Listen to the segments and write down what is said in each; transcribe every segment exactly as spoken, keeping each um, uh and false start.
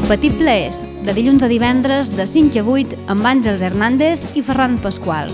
Petit Plaers, de dilluns a divendres de cinc a vuit amb Àngels Hernández i Ferran Pasqual.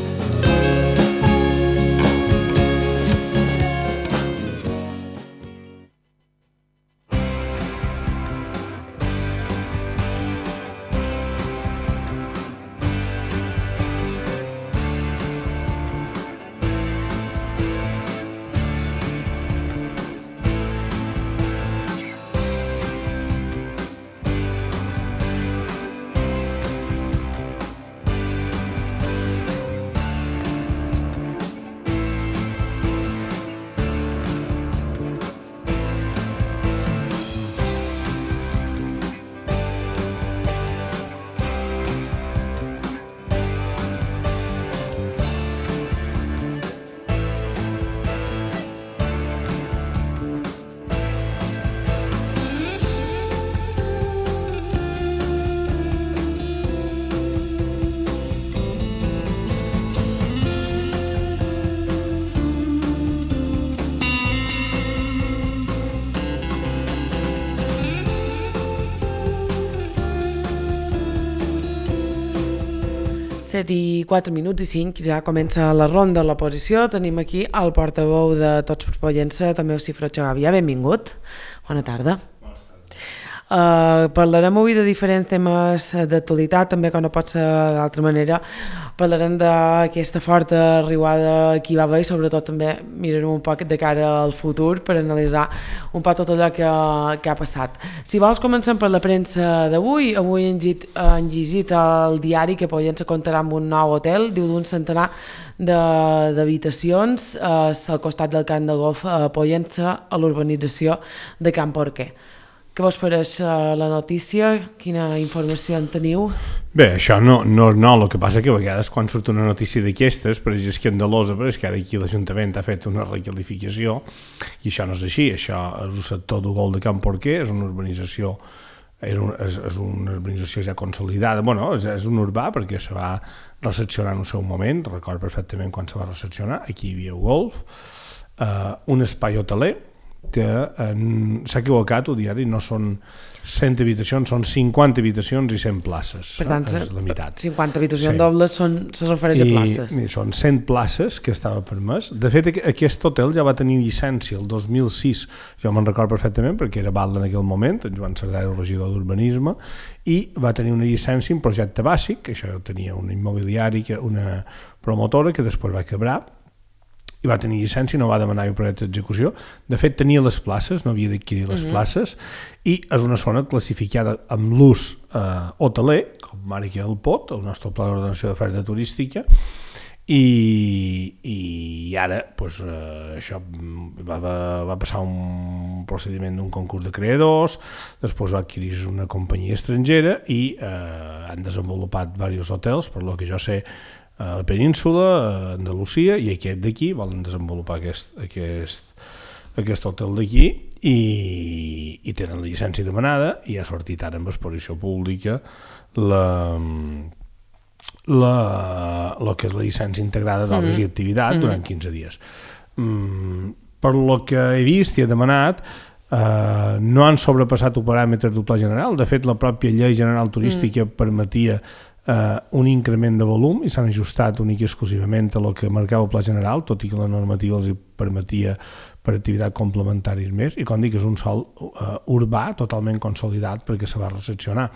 set i quatre minuts i cinc, ja comença la ronda de l'oposició. Tenim aquí el portaveu de Tots per Pollença, també Cifro Xagàvia. Benvingut. Bona tarda. Uh, parlarem avui de diferents temes d'actualitat, també que no pot ser d'altra manera. Parlarem d'aquesta forta arribada que hi va haver i sobretot també mirarem un poc de cara al futur per analitzar un poc tot allò que, que ha passat. Si vols comencem per la premsa d'avui. Avui han llegit, han llegit el diari que Pollença comptarà amb un nou hotel, diu d'un centenar d'habitacions eh, al costat del camp de golf a Pollença, a l'urbanització de Can Porquer. Què vos pareix la notícia? Quina informació en teniu? Bé, això no, no és nou, el que passa que a vegades quan surt una notícia d'aquestes, però és escandalosa, però és que ara aquí l'Ajuntament ha fet una requalificació i això no és així, això és un sector de gol de Can Porquer, és una urbanització, és, un, és, és una urbanització ja consolidada, bueno, és, és un urbà perquè se va recepcionar en el seu moment, recordo perfectament quan se va recepcionar, aquí hi havia golf, eh, un espai hoteler, que s'ha equivocat el diari, no són cent habitacions, són cinquanta habitacions i cent places. Per tant, és la meitat. cinquanta habitacions sí. dobles són, se refereix I, a places. I són cent places que estava permès. De fet, aquest hotel ja va tenir llicència el dos mil sis, jo me'n recordo perfectament perquè era Valda en aquell moment, en Joan Cerdà era el regidor d'Urbanisme, i va tenir una llicència en projecte bàsic, això tenia una immobiliària, una promotora que després va quebrar, i va tenir llicència i no va demanar un projecte d'execució. De fet, tenia les places, no havia d'adquirir les uh-huh. places, i és una zona classificada amb l'ús eh, hoteler, com ara que el P O T, el nostre Pla d'Ordenació d'Oferta Turística, i, i ara pues, eh, això va, va, va passar un procediment d'un concurs de creadors, després va adquirir una companyia estrangera i eh, han desenvolupat diversos hotels, per lo que jo sé, a la península, a Andalusia, i aquest d'aquí volen desenvolupar aquest, aquest, aquest hotel d'aquí i, i tenen la llicència demanada i ha sortit ara amb exposició pública la, la, la que és la llicència integrada d'obres mm-hmm. i activitat mm-hmm. durant quinze dies. Mm, per lo que he vist i he demanat, Uh, no han sobrepassat els paràmetres del Pla General. De fet, la pròpia Llei General Turística mm. permetia uh, un increment de volum i s'han ajustat únic i exclusivament a el que marcava el Pla General, tot i que la normativa els permetia per activitat complementàries més, i com dic, és un sol uh, urbà totalment consolidat perquè se va recepcionar.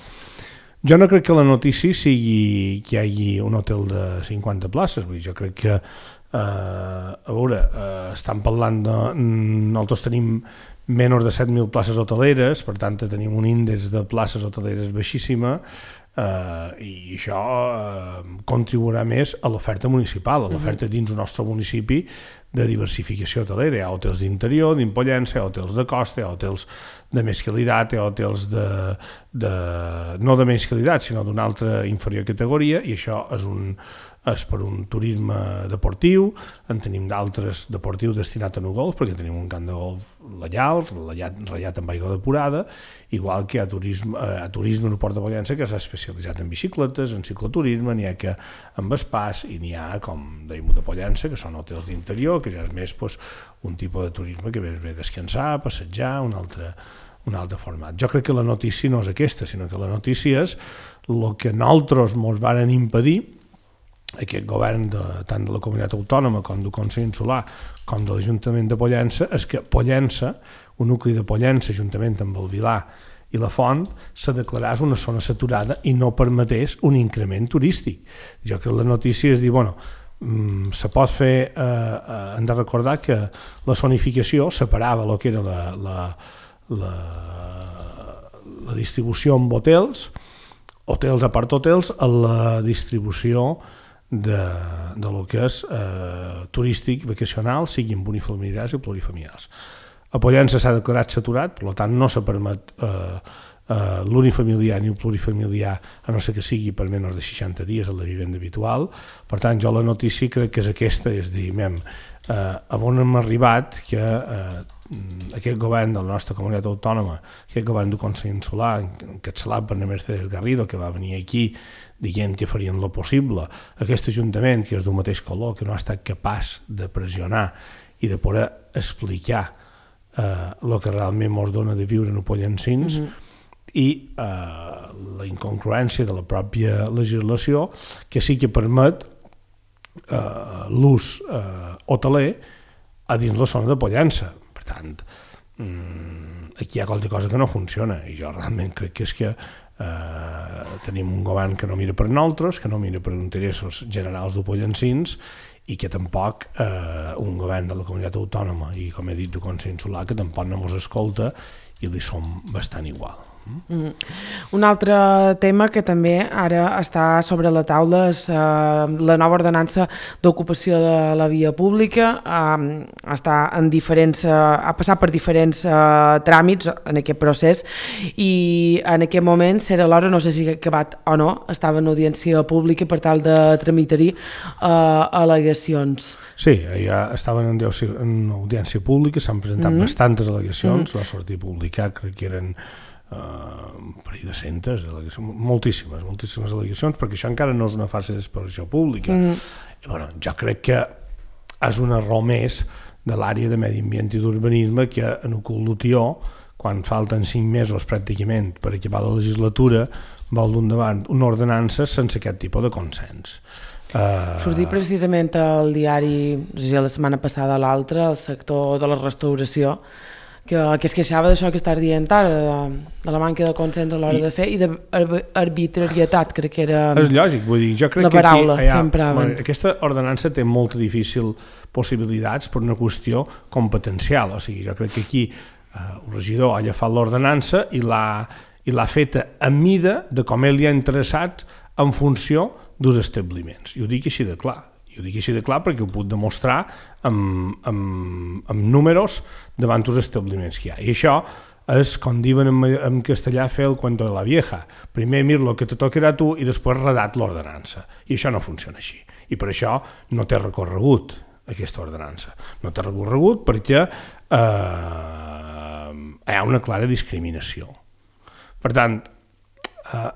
Jo no crec que la notícia sigui que hi hagi un hotel de cinquanta places, vull dir, jo crec que uh, a veure, uh, estan parlant de... Nosaltres tenim menys de set mil places hoteleres, per tant tenim un índex de places hoteleres baixíssima eh, i això eh, contribuirà més a l'oferta municipal, a l'oferta dins del nostre municipi de diversificació hotelera. Hi ha hotels d'interior, d'Impollença, hi ha hotels de costa, hi ha hotels de més qualitat, hi ha hotels de, de, no de menys qualitat, sinó d'una altra inferior categoria, i això és un és per un turisme deportiu, en tenim d'altres deportius destinats a no golf, perquè tenim un camp de golf lleial, ratllat amb aigua depurada, igual que hi ha turisme, a turisme en el Port de Pollença que s'ha especialitzat en bicicletes, en cicloturisme, n'hi ha que amb espàs, i n'hi ha, com dèiem, de Pollença, que són hotels d'interior, que ja és més pues, un tipus de turisme que ve, ve descansar, passejar, un altre, un altre format. Jo crec que la notícia no és aquesta, sinó que la notícia és el que nosaltres ens varen impedir, aquest govern de, tant de la comunitat autònoma com del Consell Insular com de l'Ajuntament de Pollença, és que Pollença, un nucli de Pollença, juntament amb el Vilar i la Font, se declarés una zona saturada i no permetés un increment turístic. Jo crec que la notícia és dir, bueno, mm, se pot fer, eh, eh, hem de recordar que la zonificació separava el que era la, la, la, la distribució amb hotels, hotels a part hotels, a la distribució de, de lo que és eh, turístic, vacacional, siguin unifamiliars i plurifamiliars. A Pollença s'ha declarat saturat, per tant no se permet eh, eh, l'unifamiliar ni el plurifamiliar, a no ser que sigui per menys de seixanta dies a la vivenda habitual. Per tant, jo la notícia crec que és aquesta, és dir, mem, eh, on hem arribat que eh, aquest govern de la nostra comunitat autònoma, aquest govern del Consell Insular, encapçalat per Mercedes Garrido, que va venir aquí dient que farien lo possible, aquest ajuntament, que és d'un mateix color, que no ha estat capaç de pressionar i de poder explicar el eh, que realment ens dona de viure en Pollencins, mm-hmm. i eh, la incongruència de la pròpia legislació, que sí que permet eh, l'ús eh, hoteler a dins la zona de Pollença. Per tant, mm, aquí hi ha qualque cosa que no funciona, i jo realment crec que és que eh, tenim un govern que no mira per nosaltres, que no mira per interessos generals de Pollencins, i que tampoc eh, un govern de la comunitat autònoma i, com he dit, del Consell Insular, que tampoc no ens escolta i li som bastant igual. Mm. Un altre tema que també ara està sobre la taula és eh, la nova ordenança d'ocupació de la via pública. Eh, està en diferents, eh, ha passat per diferents eh, tràmits en aquest procés i en aquest moment serà l'hora, no sé si ha acabat o no, estava en audiència pública per tal de tramitar-hi eh, al·legacions. Sí, ja estaven en audiència, en audiència pública, s'han presentat mm. bastantes al·legacions, mm. va sortir publicat, crec que eren Uh, un parell de centes, moltíssimes, moltíssimes al·legacions, perquè això encara no és una fase d'exposició pública. Mm. I, bueno, jo crec que és un error més de l'àrea de medi ambient i d'urbanisme que en el cul del tió, quan falten cinc mesos pràcticament per acabar la legislatura, vol d'un davant una ordenança sense aquest tipus de consens. Uh... Sortir precisament al diari, no sé si la setmana passada o l'altra, el sector de la restauració, que, que es queixava d'això que estàs dient ara, de, de la manca de consens a l'hora I, de fer i d'arbitrarietat, crec que era és lògic, vull dir, jo crec la paraula que, aquí, que empraven. Bueno, aquesta ordenança té molt difícil possibilitats per una qüestió competencial, o sigui, jo crec que aquí eh, el regidor ha agafat l'ordenança i l'ha i l'ha feta a mida de com ell li ha interessat en funció dels establiments, i ho dic així de clar. I ho dic així de clar perquè ho puc demostrar amb, amb, amb números davant dels establiments que hi ha. I això és, com diuen en, en castellà, fer el cuento de la vieja. Primer mir lo que te tocarà tu i després redat l'ordenança. I això no funciona així. I per això no té recorregut aquesta ordenança. No té recorregut perquè eh, hi ha una clara discriminació. Per tant, eh,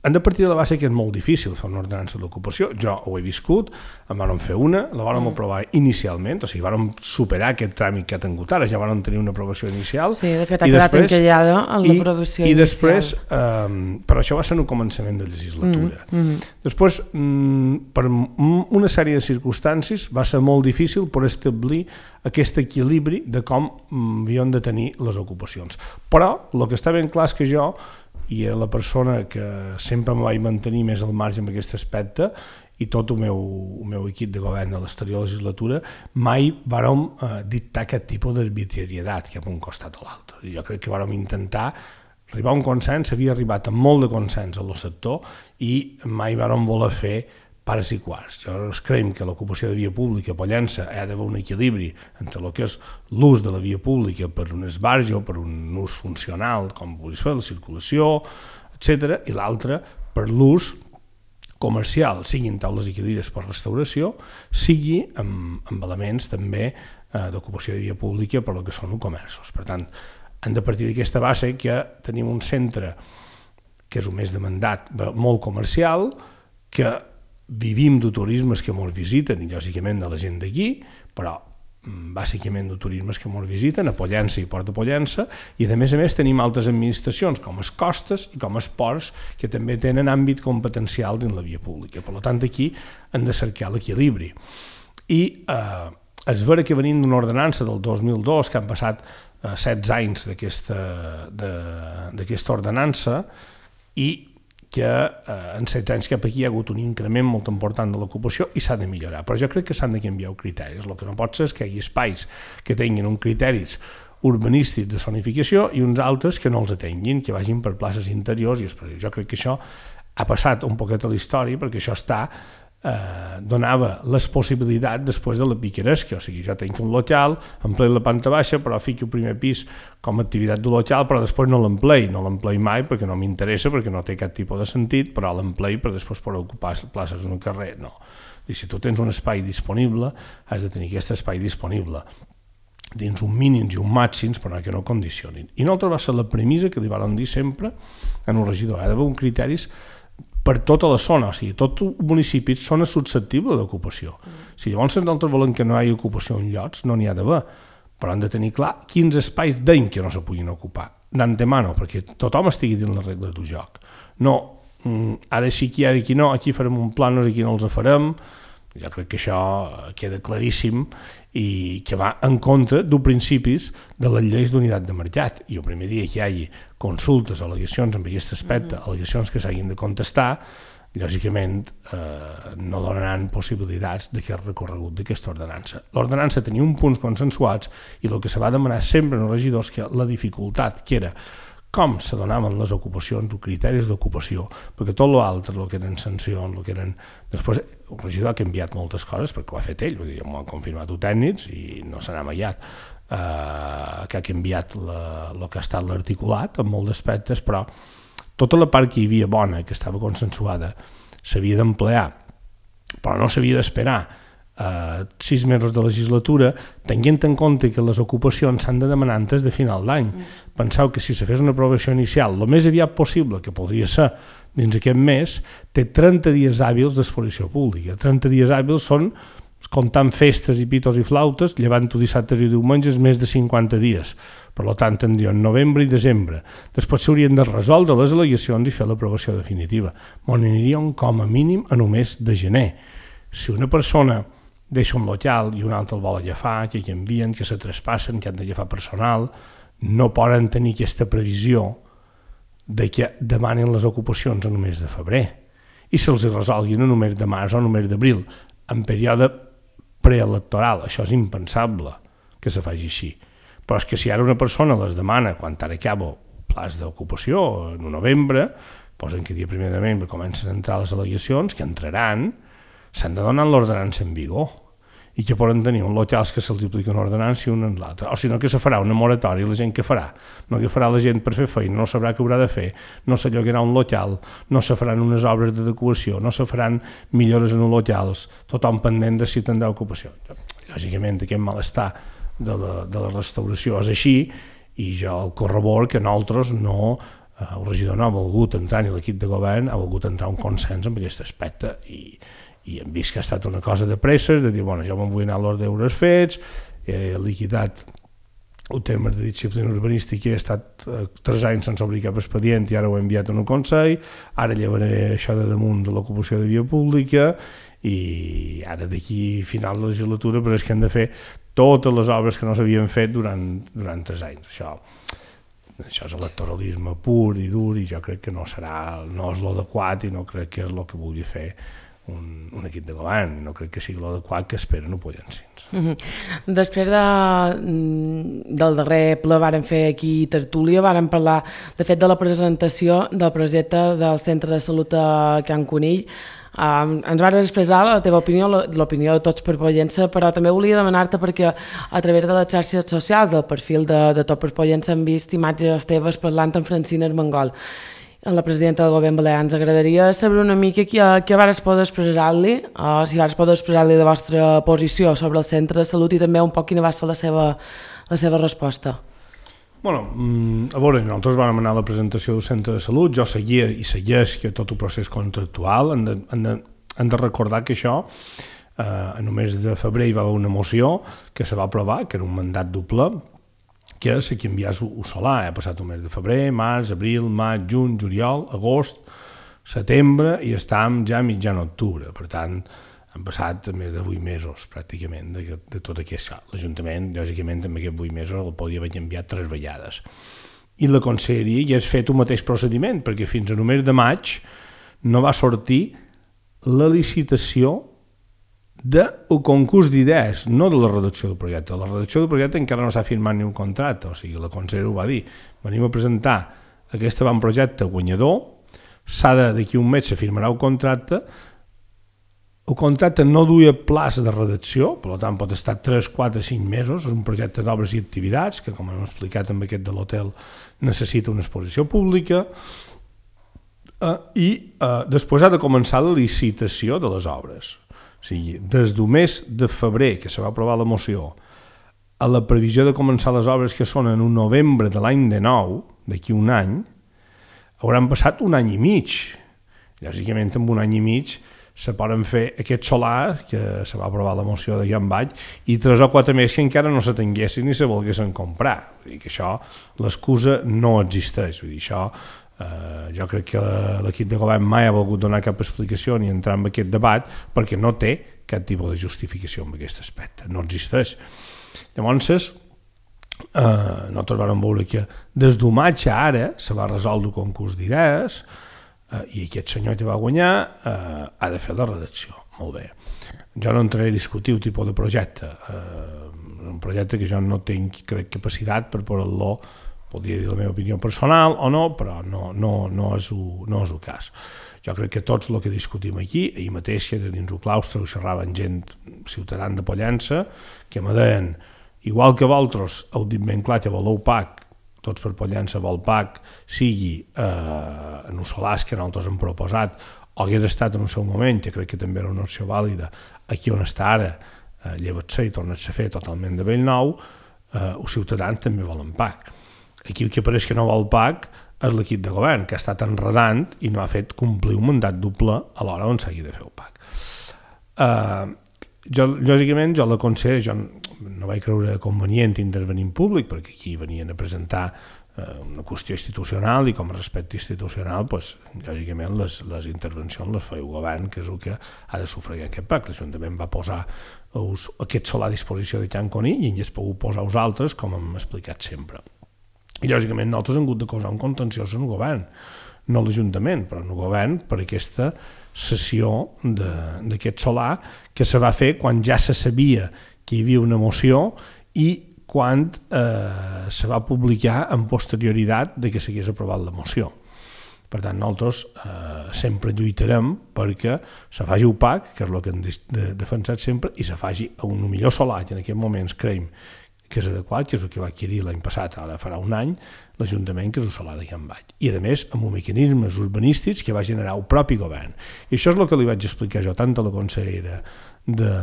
hem de partir de la base que és molt difícil fer una ordenança d'ocupació. Jo ho he viscut, en vam fer una, la vam mm. aprovar inicialment, o sigui, vam superar aquest tràmit que ha tingut ara, ja vam tenir una aprovació inicial. Sí, de fet ha quedat encallada en l'aprovació inicial. I després, eh, però això va ser un començament de legislatura. Mm. Mm. Després, mm, per una sèrie de circumstàncies, va ser molt difícil per establir aquest equilibri de com mm, havíem de tenir les ocupacions. Però el que està ben clar és que jo i era la persona que sempre em vaig mantenir més al marge en aquest aspecte i tot el meu, el meu equip de govern de l'exterior legislatura mai vàrem eh, dictar aquest tipus d'arbitrarietat cap a un costat o l'altre. Jo crec que vàrem intentar arribar a un consens, havia arribat amb molt de consens al sector i mai vàrem voler fer pares i quarts. Jo creiem que l'ocupació de via pública a Pollença ha d'haver un equilibri entre el que és l'ús de la via pública per un esbarjo, per un ús funcional, com vulguis fer, la circulació, etcètera, i l'altre per l'ús comercial, siguin taules i cadires per restauració, sigui amb, amb elements també eh, d'ocupació de via pública per el que són els comerços. Per tant, hem de partir d'aquesta base que tenim un centre que és un més demandat, molt comercial, que vivim de turismes que ens visiten i lògicament de la gent d'aquí, però bàsicament de turismes que ens visiten, a Pollença i Port de Pollença, i a més a més tenim altres administracions com les costes i com els ports que també tenen àmbit competencial dins la via pública. Per tant, aquí hem de cercar l'equilibri. I eh, és vera que venim d'una ordenança del dos mil dos, que han passat eh, setze anys d'aquesta ordenança, i que eh, en setze anys cap aquí hi ha hagut un increment molt important de l'ocupació i s'ha de millorar. Però jo crec que s'han de canviar els criteris. El que no pot ser és que hi hagi espais que tinguin uns criteris urbanístics de zonificació i uns altres que no els atenguin, que vagin per places interiors. I jo crec que això ha passat un poquet a la història, perquè això està Eh, donava les possibilitats després de la picaresca, o sigui, jo tinc un local, emplei la planta baixa, però fico el primer pis com a activitat de local, però després no l'emplei, no l'emplei mai perquè no m'interessa, perquè no té cap tipus de sentit, però l'emplei per després poder ocupar places en un carrer, no. I si tu tens un espai disponible, has de tenir aquest espai disponible dins un mínims i un màxims, però que no condicionin. I l'altra va ser la premissa que li van dir sempre en un regidor, ha d'haver uns criteris per tota la zona, o sigui, tot el municipi és zona susceptible d'ocupació. Mm. Si llavors nosaltres volem que no hi hagi ocupació en llocs, no n'hi ha d'haver, però hem de tenir clar quins espais deim que no se puguin ocupar, d'antemano, perquè tothom estigui dins les regles del joc. No, ara sí que hi ha, aquí no, aquí farem un pla, no sé qui no els farem, jo crec que això queda claríssim i que va en contra dels principis de les lleis d'unitat de mercat. I el primer dia que hi hagi consultes, al·legacions en aquest aspecte, al·legacions que s'hagin de contestar, lògicament eh, no donaran possibilitats d'aquest recorregut d'aquesta ordenança. L'ordenança tenia uns punts consensuats i el que se va demanar sempre als regidors que la dificultat que era com se donaven les ocupacions, els criteris d'ocupació, perquè tot l'altre, el que eren sancions, el que eren... Després, el regidor ha canviat moltes coses perquè ho ha fet ell, vull dir, m'ho han confirmat els tècnics i no se n'ha amallat, eh, que ha canviat la, el que ha estat l'articulat en molts aspectes, però tota la part que hi havia bona, que estava consensuada, s'havia d'emplear, però no s'havia d'esperar Uh, sis mesos de legislatura, tenint en compte que les ocupacions s'han de demanar antes de final d'any. Mm. Penseu que si se fes una aprovació inicial el més aviat possible, que podria ser dins aquest mes, té trenta dies hàbils d'exposició pública. trenta dies hàbils són, comptant festes i pitos i flautes, llevant-ho dissabtes i diumenges, més de cinquanta dies. Per tant, tindrien novembre i desembre. Després s'haurien de resoldre les al·legacions i fer l'aprovació definitiva. M'ho anirien com a mínim a només de gener. Si una persona deixa un local i un altre el vol agafar, que canvien, que se traspassen, que han d'agafar personal, no poden tenir aquesta previsió de que demanen les ocupacions a només de febrer i se'ls resolguin a només de març o a només d'abril, en període preelectoral. Això és impensable que se faci així. Però és que si ara una persona les demana quan ara acaba el pla d'ocupació, en novembre, posen que dia primer de novembre comencen a entrar les al·legacions, que entraran, s'han de donar l'ordenança en vigor i que poden tenir un locals que se'ls aplica una ordenança i un en l'altre. O sinó que se farà una moratòria i la gent què farà? No que farà la gent per fer feina, no sabrà què haurà de fer, no se llogarà un local, no se faran unes obres d'adequació, no se faran millores en els locals, tothom pendent de si tindrà ocupació. Lògicament, aquest malestar de la, de la restauració és així i jo el corrobor que nosaltres no, eh, el regidor no ha volgut entrar ni l'equip de govern ha volgut entrar un consens en aquest aspecte i i hem vist que ha estat una cosa de presses, de dir, bueno, jo me'n vull anar a l'hora deures fets, he liquidat el tema de disciplina urbanística, he estat eh, tres anys sense obrir cap expedient i ara ho he enviat a un consell, ara llevaré això de damunt de l'ocupació de via pública i ara d'aquí final de la legislatura però és que hem de fer totes les obres que no s'havien fet durant, durant tres anys. Això, això és electoralisme pur i dur i jo crec que no serà, no és l'adequat i no crec que és el que vulgui fer Un, un equip de govern, no crec que sigui l'adequat que esperen ho Pollencins. Mm-hmm. Després de, del darrer ple vàrem fer aquí tertúlia, vàrem parlar de fet de la presentació del projecte del Centre de Salut a Can Conill. Um, ens vas expressar la teva opinió, l'opinió de Tots per Pollença, però també volia demanar-te perquè a través de les xarxes socials del perfil de, de Tots per Pollença hem vist imatges teves parlant amb Francina Armengol, la presidenta del govern balear. Ens agradaria saber una mica què, què vas poder expressar-li, uh, si vas poder expressar-li la vostra posició sobre el centre de salut i també un poc quina va ser la seva, la seva resposta. Bueno, a veure, nosaltres vam anar a la presentació del centre de salut, jo seguia i segueix que tot el procés contractual, hem de, hem de, hem de recordar que això eh, en el mes de febrer hi va haver una moció que se va aprovar, que era un mandat doble, que se canviés el solar. Ha passat un mes de febrer, març, abril, maig, juny, juliol, agost, setembre i estem ja a mitjan octubre. Per tant, han passat més de vuit mesos, pràcticament, de, de tot aquest. L'Ajuntament, lògicament, en aquests vuit mesos el podia haver canviat tres vegades. I la conselleria ja ha fet un mateix procediment, perquè fins al mes de maig no va sortir la licitació del concurs d'idees, no de la redacció del projecte. La redacció del projecte encara no s'ha firmat ni un contracte, o sigui, la conselleria ho va dir. Venim a presentar aquest avantprojecte guanyador, s'ha de, d'aquí un mes se firmarà el contracte. El contracte no duia plaç de redacció, per tant pot estar tres, quatre, cinc mesos, és un projecte d'obres i activitats que, com hem explicat amb aquest de l'hotel, necessita una exposició pública eh, i eh, després ha de començar la licitació de les obres. O sigui, des del mes de febrer, que se va aprovar la moció, a la previsió de començar les obres que són en un novembre de l'any de nou, d'aquí un any, hauran passat un any i mig. Lògicament, en un any i mig se poden fer aquest solar, que se va aprovar la moció de Jan Baix, i tres o quatre més que encara no se tinguessin ni se volguessin comprar. Vull dir que això, l'excusa no existeix. Vull dir, això, eh, jo crec que l'equip de govern mai ha volgut donar cap explicació ni entrar en aquest debat, perquè no té cap tipus de justificació en aquest aspecte, no existeix. Llavors, eh, nosaltres vam veure que des del maig a ara se va resoldre el concurs d'idees, Uh, i aquest senyor que va guanyar uh, ha de fer la redacció. Molt bé. Jo no entraré a discutir el tipus de projecte. Uh, un projecte que jo no tinc, crec, capacitat per poder-lo, podria dir la meva opinió personal o no, però no, no, no, és, el, no és el cas. Jo crec que tots el que discutim aquí, ahir mateix que dins el claustre ho xerraven gent ciutadana de Pollença, que me deien, igual que vosaltres heu dit ben clar que voleu P A C, tots per Pollença vol P A C, sigui eh, en els solars que nosaltres hem proposat, o hagués estat en el seu moment, que crec que també era una opció vàlida, aquí on està ara, eh, llevat-se i torna-se a fer totalment de bell nou, eh, els ciutadans també volen P A C. Aquí el que pareix que no vol P A C és l'equip de govern, que ha estat enredant i no ha fet complir un mandat doble a l'hora on s'hagi de fer el P A C. Eh, jo, lògicament, jo la conselleria, jo no vaig creure convenient intervenir en públic, perquè aquí venien a presentar eh, una qüestió institucional i com a respecte institucional, pues, lògicament les, les intervencions les fa el govern, que és el que ha de sufragar aquest P A C. L'Ajuntament va posar us, aquest solar a disposició de Can Conill i ens pogut posar els altres, com hem explicat sempre. I lògicament nosaltres hem hagut de causar un contenciós en el govern, no l'Ajuntament, però en el govern, per aquesta cessió d'aquest solar que se va fer quan ja se sabia que hi havia una moció i quan eh, se va publicar en posterioritat de que s'hagués aprovat la moció. Per tant, nosaltres eh, sempre lluitarem perquè se faci un P A C, que és el que hem de, de, defensat sempre, i se faci un millor solar, que en aquests moments creiem que és adequat, que és el que va adquirir l'any passat, ara farà un any, l'Ajuntament, que és el solar de Can Baix. I, a més, amb mecanismes urbanístics que va generar el propi govern. I això és el que li vaig explicar jo tant a la consellera de,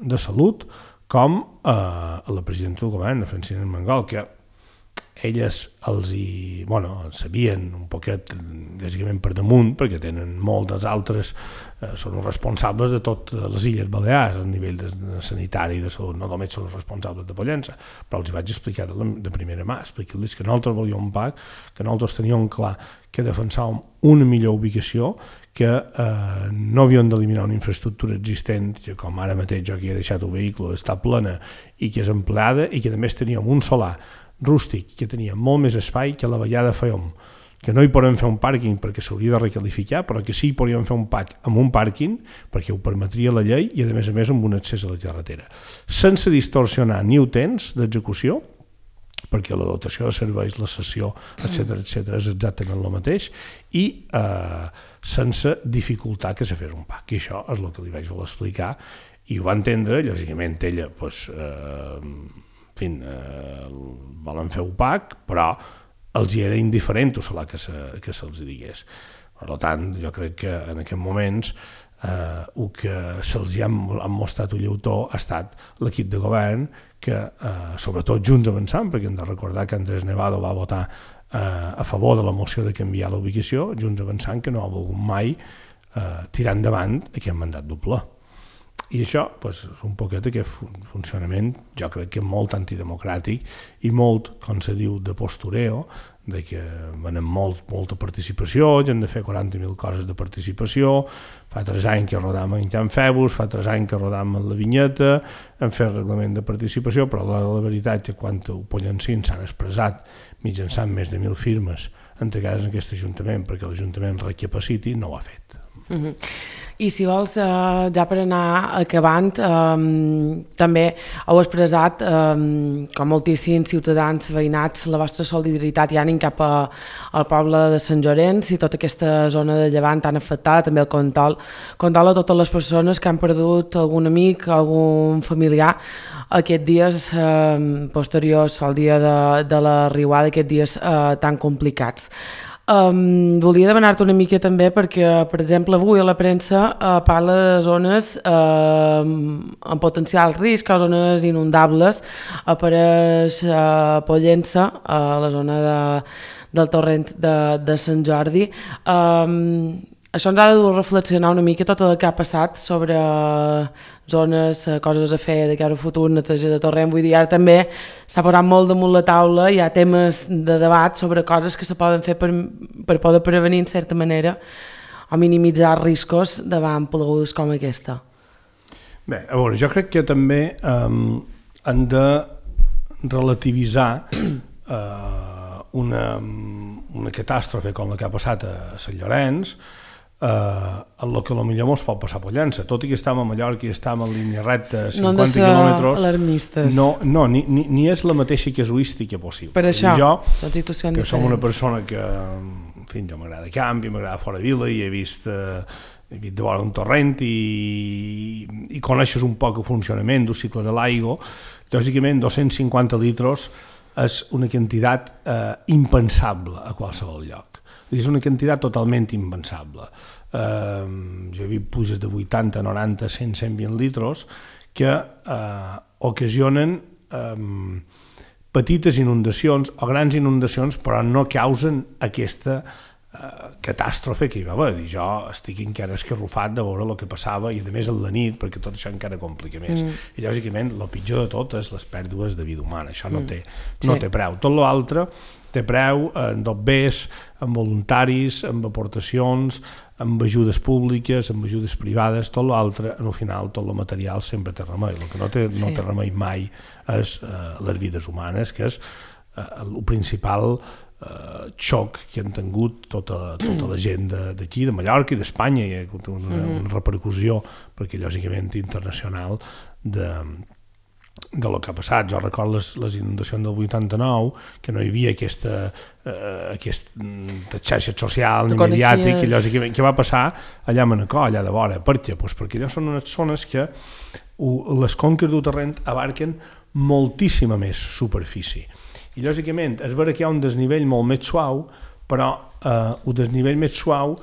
de Salut com a la presidenta del govern, a Francina Armengol, que elles els hi, bueno, sabien un poquet, bàsicament per damunt, perquè tenen moltes altres, eh, són els responsables de totes les Illes Balears a nivell de, de sanitari i de salut, no només són els responsables de Pollença, però els hi vaig explicar de, la, de primera mà, explicar-los que nosaltres volíem un P A C, que nosaltres teníem clar que defensàvem una millor ubicació, que eh, no havíem d'eliminar una infraestructura existent, que com ara mateix jo que he deixat el vehicle està plena i que és empleada, i que a més teníem un solar rústic que tenia molt més espai que a la Vallada fèiem, que no hi podem fer un pàrquing perquè s'hauria de requalificar, però que sí hi podríem fer un P A C amb un pàrquing perquè ho permetria la llei i a més a més amb un accés a la carretera, sense distorsionar ni el temps d'execució, perquè la dotació de serveis, la cessió, etcètera, etcètera, és exactament el mateix, i eh, sense dificultar que se fes un P A C. I això és el que li vaig voler explicar, i ho va entendre, lògicament ella, doncs, eh, en fi, eh, volen fer un P A C, però els hi era indiferent o solar que, se, que se'ls digués. Per tant, jo crec que en aquests moments eh, el que se'ls ha mostrat un lleutó ha estat l'equip de govern que, eh, sobretot Junts Avançant, perquè hem de recordar que Andrés Nevado va votar eh, a favor de la moció de canviar la ubicació, Junts Avançant que no ha volgut mai eh, tirar endavant aquest mandat doble. I això pues, és un poquet aquest funcionament, jo crec que molt antidemocràtic i molt, com se diu, de postureo, de que venen molt, molta participació, i hem de fer quaranta mil coses de participació. Fa tres anys que rodam en Can Febus, fa tres anys que rodam en la Vinyeta, hem fet reglament de participació, però la, la veritat és que quan ho Pollencins s'han expressat mitjançant més de mil firmes entregades en aquest Ajuntament perquè l'Ajuntament recapaciti, no ho ha fet. Uh-huh. I si vols, eh, ja per anar acabant, eh, també heu expressat, eh, com moltíssims ciutadans veïnats, la vostra solidaritat i ànim cap a, al poble de Sant Llorenç i tota aquesta zona de Llevant tan afectada, també el condol, condol a totes les persones que han perdut algun amic, algun familiar aquests dies eh, posteriors al dia de, de la riuada, aquests dies eh, tan complicats. Um, volia demanar-te una mica també perquè, per exemple, avui a la premsa uh, parla de zones uh, amb potencial risc o zones inundables. Apareix uh, Pollença, a uh, la zona de, del torrent de, de Sant Jordi. Um, això ens ha de dur a reflexionar una mica tot el que ha passat sobre zones, coses a fer de cara al futur, neteja de torrent. Vull dir, ara també s'ha posat molt damunt la taula, hi ha temes de debat sobre coses que se poden fer per, per poder prevenir, en certa manera, o minimitzar riscos davant plegudes com aquesta. Bé, a veure, jo crec que també um, han de relativitzar uh, una, una catàstrofe com la que ha passat a Sant Llorenç, Uh, el que potser ens pot passar a Pollença, tot i que estem a Mallorca i estem en línia recta cinquanta quilòmetres, alarmistes. No, no ni, ni, ni és la mateixa casuística possible. Per això, jo, són situacions que diferents. som una persona que, en fi, jo m'agrada camp i m'agrada fora vila i he vist, uh, he vist de vora un torrent i, i coneixes un poc el funcionament del cicle de l'aigua. Lògicament, dos-cents cinquanta litres és una quantitat uh, impensable a qualsevol lloc. És una quantitat totalment impensable. Uh, jo he vist pluges de vuitanta, noranta, cent, cent vint litres que uh, ocasionen um, petites inundacions o grans inundacions, però no causen aquesta uh, catàstrofe que hi va haver. I jo estic encara escarrufat de veure el que passava i a més a la nit, perquè tot això encara complica més. Mm. I lògicament el pitjor de tot és les pèrdues de vida humana. Això no té, mm. no sí. té preu. Tot l'altre té preu en dobbers, en voluntaris, en aportacions, amb ajudes públiques, amb ajudes privades, tot l'altre, en el final, tot el material sempre té remei. El que no té, sí. no té remei mai és uh, les vides humanes, que és uh, el principal uh, xoc que han tingut tota, tota la gent d'aquí, de, de Mallorca i d'Espanya, i ha hagut una, una repercussió, perquè lògicament internacional, de de lo que ha passat. Jo recordo les, les inundacions del vuitanta-nou, que no hi havia aquesta, eh, aquesta xarxa social ni mediàtic, que lògicament què va passar allà a Manacor, allà de vora. Per què? Pues perquè allò són unes zones que uh, les conques del terreny abarquen moltíssima més superfície. I lògicament és vera que hi ha un desnivell molt més suau, però eh, un desnivell més suau,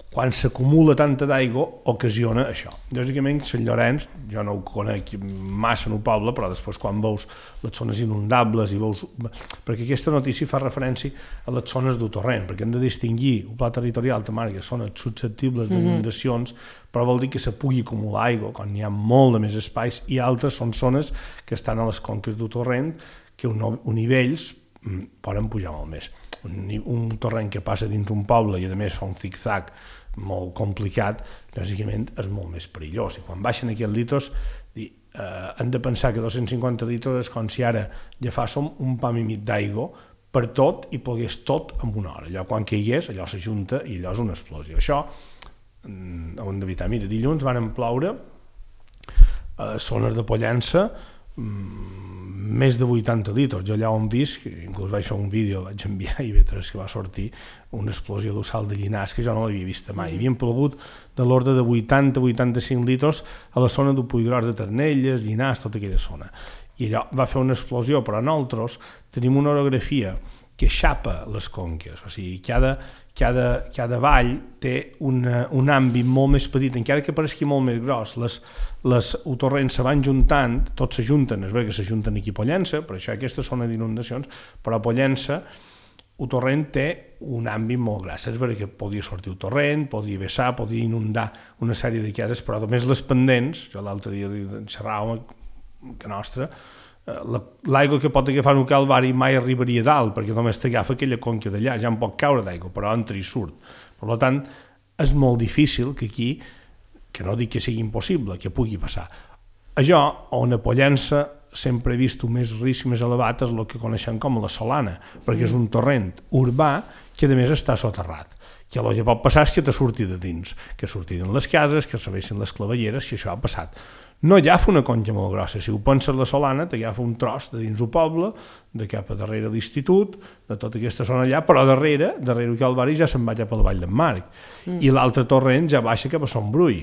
quan s'acumula tanta d'aigua, ocasiona això. Lògicament, Sant Llorenç, jo no ho conec massa en el poble, però després quan veus les zones inundables i veus... Perquè aquesta notícia fa referència a les zones del torrent, perquè hem de distingir el pla territorial de Marga, zones susceptibles d'inundacions, mm-hmm. però vol dir que se pugui acumular aigua quan hi ha molt de més espais, i altres són zones que estan a les conques del torrent, que un, un nivells poden pujar molt més. Un, un torrent que passa dins un poble i a més fa un zig-zag molt complicat, lògicament és molt més perillós. I quan baixen aquests litres, eh, hem de pensar que dos-cents cinquanta litres és com si ara agafàssim un pam i mig d'aigua per tot i pogués tot en una hora. Allò quan caigués, allò s'ajunta i allò és una explosió. Això ho hem d'evitar. Mira, dilluns van ploure a zones de Pollença més de vuitanta litres. Jo allà on vist, inclús vaig fer un vídeo, vaig enviar i vetres que va sortir una explosió d'un salt de Llinars que jo no l'havia vist mai. Hi havia plogut de l'ordre de vuitanta a vuitanta-cinc litres a la zona del Puiggròs de Ternelles, Llinars, tota aquella zona. I allò va fer una explosió, però nosaltres tenim una orografia que xapa les conques, o sigui, cada, cada, cada vall té una, un àmbit molt més petit, encara que pareixi molt més gros, les, les torrents se van juntant, tots s'ajunten, és veritat que s'ajunten aquí a Pollença, per això aquesta zona d'inundacions, però a Pollença el torrent té un àmbit molt gras. És veritat que podia sortir el torrent, podia vessar, podia inundar una sèrie de cases, però només les pendents, jo l'altre dia xerràvem que nostra, l'aigua que pot agafar un calvari mai arribaria dalt, perquè només t'agafa aquella conca d'allà, ja en pot caure d'aigua, però entra i surt. Per tant, és molt difícil que aquí, que no dic que sigui impossible, que pugui passar. Allò on a Pollença sempre he vist un més risc més elevat és el que coneixem com la Solana, perquè és un torrent urbà que a més està soterrat, que el que pot passar és que te surti de dins, que sortiren les cases, que s'avessin les clavelleres, si això ha passat. No agafa una conca molt grossa, si ho penses la Solana t'agafa un tros de dins el poble, de cap a darrere l'institut, de tota aquesta zona allà, però darrere, darrere el Calvari ja se'n va cap a la Vall d'en Marc, mm. i l'altre torrent ja baixa cap a Son Brull.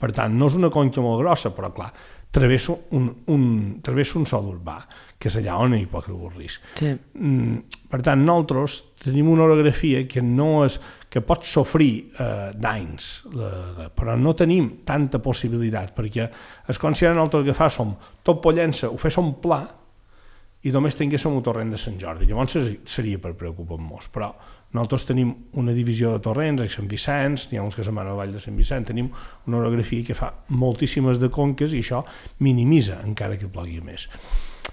Per tant, no és una conca molt grossa, però clar, travessa un, un, travessa un sol urbà, que és allà on hi pot haver risc. Sí. Mm, per tant, nosaltres tenim una orografia que no és, que pot sofrir eh, danys, eh, però no tenim tanta possibilitat, perquè es considera nosaltres que fa som tot Pollença, ho féssim pla, i només tinguéssim un torrent de Sant Jordi. Llavors seria per preocupar-nos, però nosaltres tenim una divisió de torrents a Sant Vicenç, n'hi ha uns que se'n van a la Vall de Sant Vicenç, tenim una orografia que fa moltíssimes de conques i això minimitza encara que plogui més.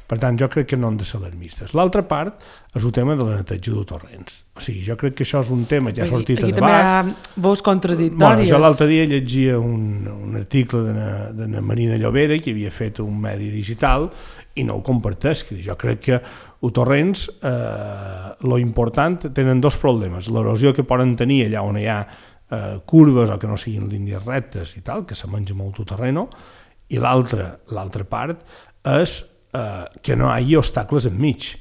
Per tant, jo crec que no han de ser alarmistes. L'altra part és el tema de la neteja de torrents. O sigui, jo crec que això és un tema que ja ha sortit a debat. Aquí també hi ha veus contradictòries. Bueno, jo l'altre dia llegia un, un article de na Marina Llobera que havia fet un medi digital i no ho comparteix. Jo crec que els torrents, eh, lo important, tenen dos problemes. L'erosió que poden tenir allà on hi ha eh, curves o que no siguin línies rectes i tal, que se menja molt el terreno, i l'altra l'altra part és eh, que no hi hagi obstacles enmig.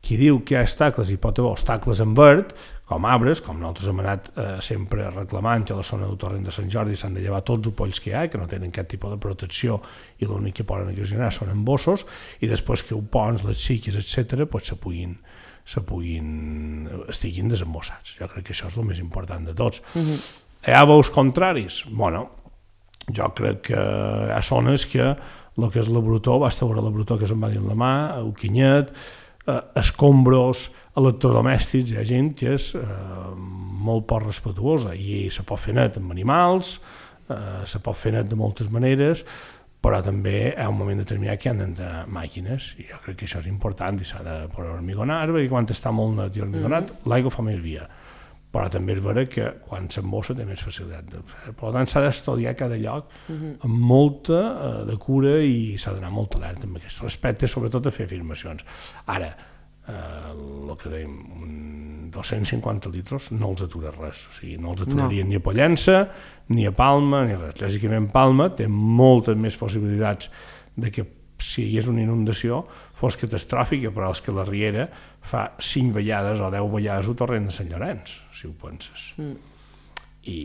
Qui diu que hi ha obstacles, hi pot haver obstacles en verd, com arbres, com nosaltres hem anat eh, sempre reclamant que a la zona del torrent de Sant Jordi s'han de llevar tots els polls que hi ha, que no tenen cap tipus de protecció i l'únic que poden ocasionar són embossos, i després que els ponts, les xiques, etcètera, pues, se puguin, se puguin, estiguin desembossats. Jo crec que això és el més important de tots. Uh-huh. Hi ha veus contraris? Bueno, jo crec que hi ha zones que el que és la brutó, basta veure la brutó que se'n va dir la mà, el quinyet, eh, escombros, electrodomèstics, hi ha gent que és eh, molt poc respetuosa i se pot fer net amb animals, eh, se pot fer net de moltes maneres, però també hi ha un moment determinat que han d'entrar màquines i jo crec que això és important i s'ha de poder hormigonar, perquè quan està molt net i hormigonat mm. l'aigua fa més via, però també és vera que quan s'embossa té més facilitat. Per tant, s'ha d'estudiar cada lloc mm-hmm. amb molta eh, de cura i s'ha d'anar molt alerta amb aquest respecte, sobretot a fer afirmacions. Ara, eh, el que dèiem, dos-cents cinquanta litres no els atura res, o sigui, no els aturaria no. ni a Pollença, ni a Palma, ni res. Lògicament, Palma té moltes més possibilitats de que si hi hagués una inundació fos catastròfica, però és que la Riera fa cinc vegades o deu vegades el torrent de Sant Llorenç, si ho penses. Mm. I,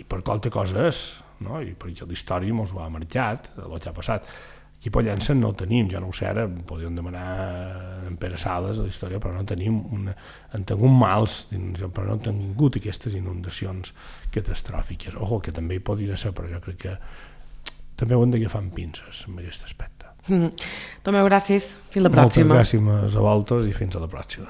I per qualque cosa és, no? I per això la història ens ho ha marcat, el que ha passat. Aquí a Pollença no tenim, jo no ho sé, ara podríem demanar en Pere Sales de la història, però no tenim, una, en tingut mals, però no han tingut aquestes inundacions catastròfiques. Ojo, que també hi podria ser, però jo crec que també ho hem d'agafar amb pinces en aquest aspecte. Mm-hmm. Tomeu, gràcies. Fins la pròxima. Moltes gràcies a vosaltres i fins a la pròxima.